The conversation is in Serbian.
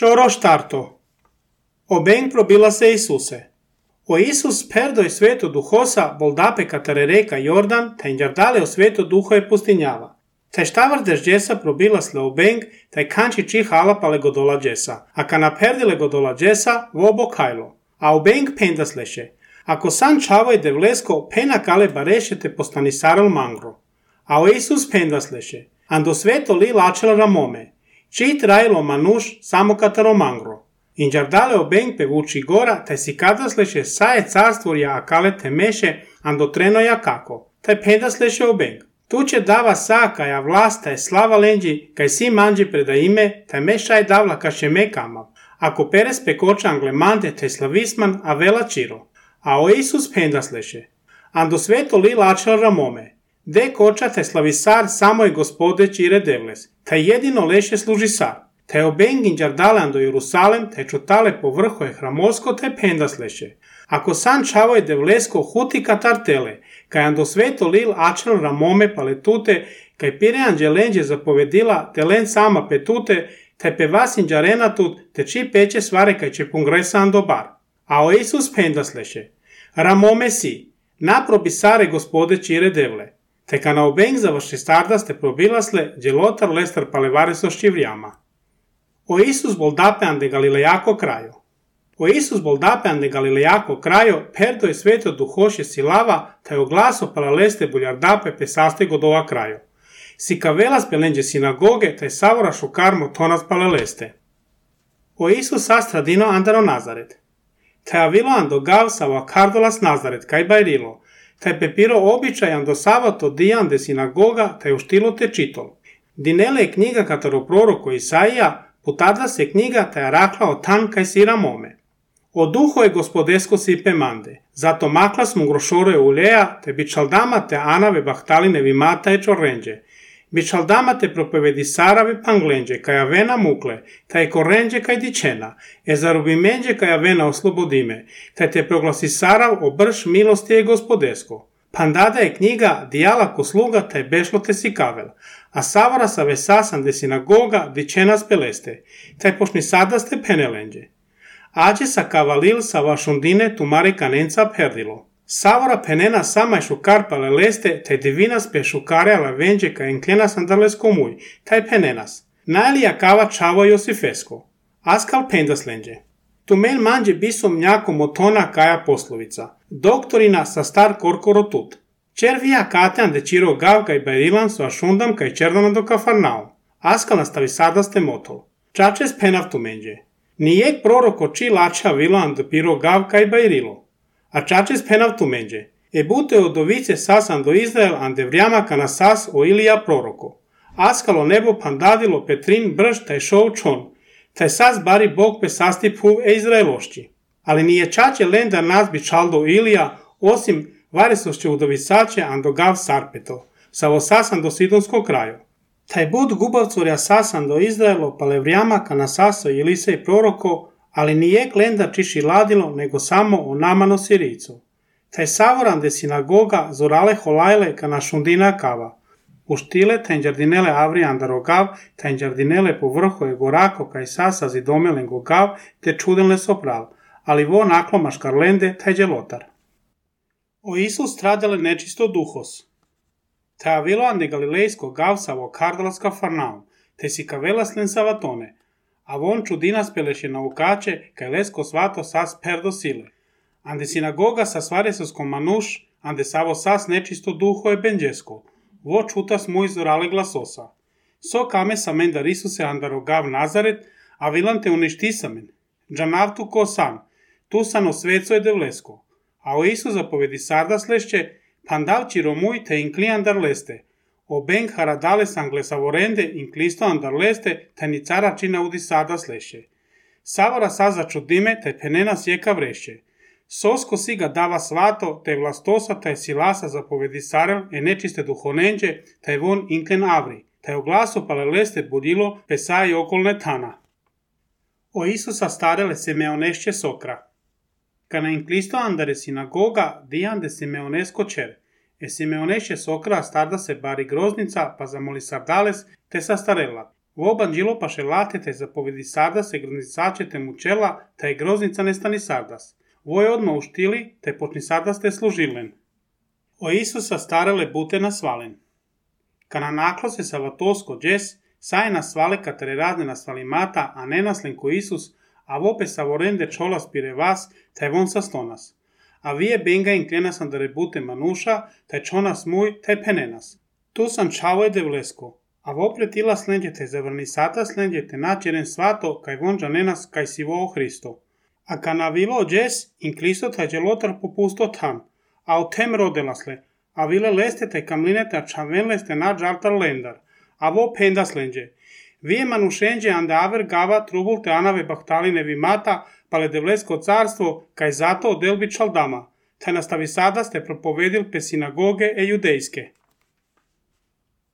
Šoroštarto. Obeng probila se Isuse. O Isus perdoj sveto duhosa boldape katare reka Jordan, ta inđardale o sveto duho je pustinjava. Taj štavar dežđesa probila sle obeng, taj kanči čihala pale godola džesa. A kana perdile godola džesa, vobo kajlo. A obeng pendasleše. Ako san čavoj devlesko, pena kale bareše te postanisaral mangro. A o Isus pendasleše. Ando sveto li lačela ramome. Čit rajlo manuš samo kataro mangro. Inđardale obeng pevuči gora, taj si kadasleše saje carstvorja akale temeše, ando trenoja kako. Taj pendasleše obeng. Tu će dava sa kaja vlast, taj slava lenđi, kaj si manđi preda ime, taj mešaj davla kaše mekamav. Ako peres pekoča anglemante, taj slavisman, a vela čiro. A o Isus pendasleše. Ando sveto li lačela ramome. De koča taj slavisar samo je gospode čire devles. Taj jedino leše služi sar. Taj obeng inđardale ando Jerusalem, taj čutale po vrho je hramosko, taj pendasleše. Ako san čavoj devlesko huti katar tele, kaj ando sveto lil ačel ramome paletute, kaj pire anđelenđe zapovedila telen sama petute, taj pevas inđarenatut, te či peće svare kaj će pungresa ando bar. A o Isus pendasleše. Ramome si, naprobi sare gospode čire devle. Te kana obeng završi stardaste probilasle, djelotar lestar palevareso ščivrijama. O Isus boldape ande Galilejako krajo. O Isus boldape ande Galilejako krajo, perdo je sveto duhoše silava, taj oglaso palaleste buljardape pesaste godova krajo. Si kavelas pelenđe sinagoge, taj savora šukarmo tonas palaleste. O Isus astradino andaro Nazaret. Taj avilo ando gav sava kardolas Nazaret, kaj bajrilo. Taj pepiro običaj ando savato dijan de sinagoga, taj uštilo te čitol. Dinele je knjiga kataro proroko Isaija, putadla se knjiga taj rakla o tan kaj si ramome. O duho je gospodesko sipe mande, zato makla smo grošore uleja, te bičaldama te anave bahtaline vimata je čorrenđe. Bičaldama te propovedi sarave panglenđe, kaj avena mukle, taj korrenđe kaj dičena, zarubimenđe kaj avena oslobodime, taj te proglasi sarav o brš milosti je gospodesko. Pandada je knjiga dijala ko sluga taj bešlo te si kavel, a savara sa vesasan de sinagoga dičena speleste, taj pošni sadaste penelenđe. Ađe sa kavalil sa vašundine tumare kanenca perdilo. Savora penena sama je šukar paleleste, taj divinas pe šukare ala venđe ka enklenas andales komuj, taj penenas. Najlija kava čavo Josifesko. Askal pendaslenđe. Tumen manđe bisom mnjako motona kaja poslovica. Doktorina sa star korkoro tut. Červija katean de čiro gav kaj bajrilan su ašundam kaj čerdana do kafarnao. Askal nastavi sadaste motol. Čačes penav tumenđe. Nijek proroko či lača vilan do piro gav kaj bajrilo. A čačes penav tumenđe. Bute odovice sasan do Izrael ande vrijama kana sas o Ilija proroko. Askalo nebo pandadilo Petrin brž taj šov čon. Taj sas bari Bog pe sastip huv Izraelošći. Ali nije čače lenda nas bi čaldo Ilija, osim varesošće udovisače ando gav sarpeto. Savo sasan do Sidonskog kraju. Taj bud gubavcurja sasan do Izraelo pale vrijama kana saso Ilisej proroko, ali nije lenda čiši ladilo, nego samo o namano Siricu. Taj savoran de sinagoga zorale holajle kana šundina kava. Uštile taj inđardinele avri andarogav, taj inđardinele po vrhu je gorako kaj sasa zidomelen gogav, te čudenle sopral, ali vo naklomaš karlende taj djelotar. O Isus stradale nečisto duhos. Taj avilo ande galilejsko gav savo kardalas kafarnaum, te si kavelas len savatone, a von čudinas peleše naukače kaj lesko svato sas perdo sile. Ande sinagoga sa svaresoskom manuš, ande savo sas nečisto duho je benđesko. Vo čutas mu izorale glasosa. So kame samen dar Isuse andarogav Nazaret, a vilan te uništisamen. Džanavtu ko san, tu san osveco je devlesko. A o Isus zapovedi sardas lešće, pandav čiromuj te inklijan dar leste. O beng haradales anglesavorende inklisto andar leste, te ni cara čina udi sardas lešće. Savara saza čudime, te penena sjeka vrešće. Sosko si ga dava svato, te vlastosa, taj silasa zapovedi sarel, nečiste duhonenđe, taj von inklen avri, taj oglaso paleleste budilo, pesa i okolne tana. O Isusa starele Simeonešće sokra. Kana inklisto andare sinagoga, dijan de Simeonesko čer. Simeonešće sokra starda se bari groznica, pa zamoli sardales, te sa starela. Vo banđilo paše latete zapovedi Sardas i groznicačete mu čela, ta je groznica ne stani Sardas. Vo je odmah uštili, te počni Sardas te služilen. O Isusa starele bute nasvalen. Kana naklo se salatosko džes, saj nasvale katare razne nasvali mata, a ne naslen ko Isus, a vope savorende čolas pire vas, taj von sa stonas. A vije benga inclinasan da rebute manuša, taj čonas muj, taj penenas. Tu sam čavo je devlesko, a vopre tila slenđete zavrni sata slenđete načeren svato, kaj vonđa nenas kaj sivo o Hristo. A kana vilo džes, inklisto taj dželotar popusto tam, a u tem rodelasle, a vile leste taj kamlinete a čaven leste na džaltar lendar, a vo penda slenđe. Vije manušenđe ande aver gava trubul te anave bahtaline vimata, pale devlesko carstvo, kaj zato odelbi čaldama, taj nastavi sada ste propovedil pe sinagoge e judejske.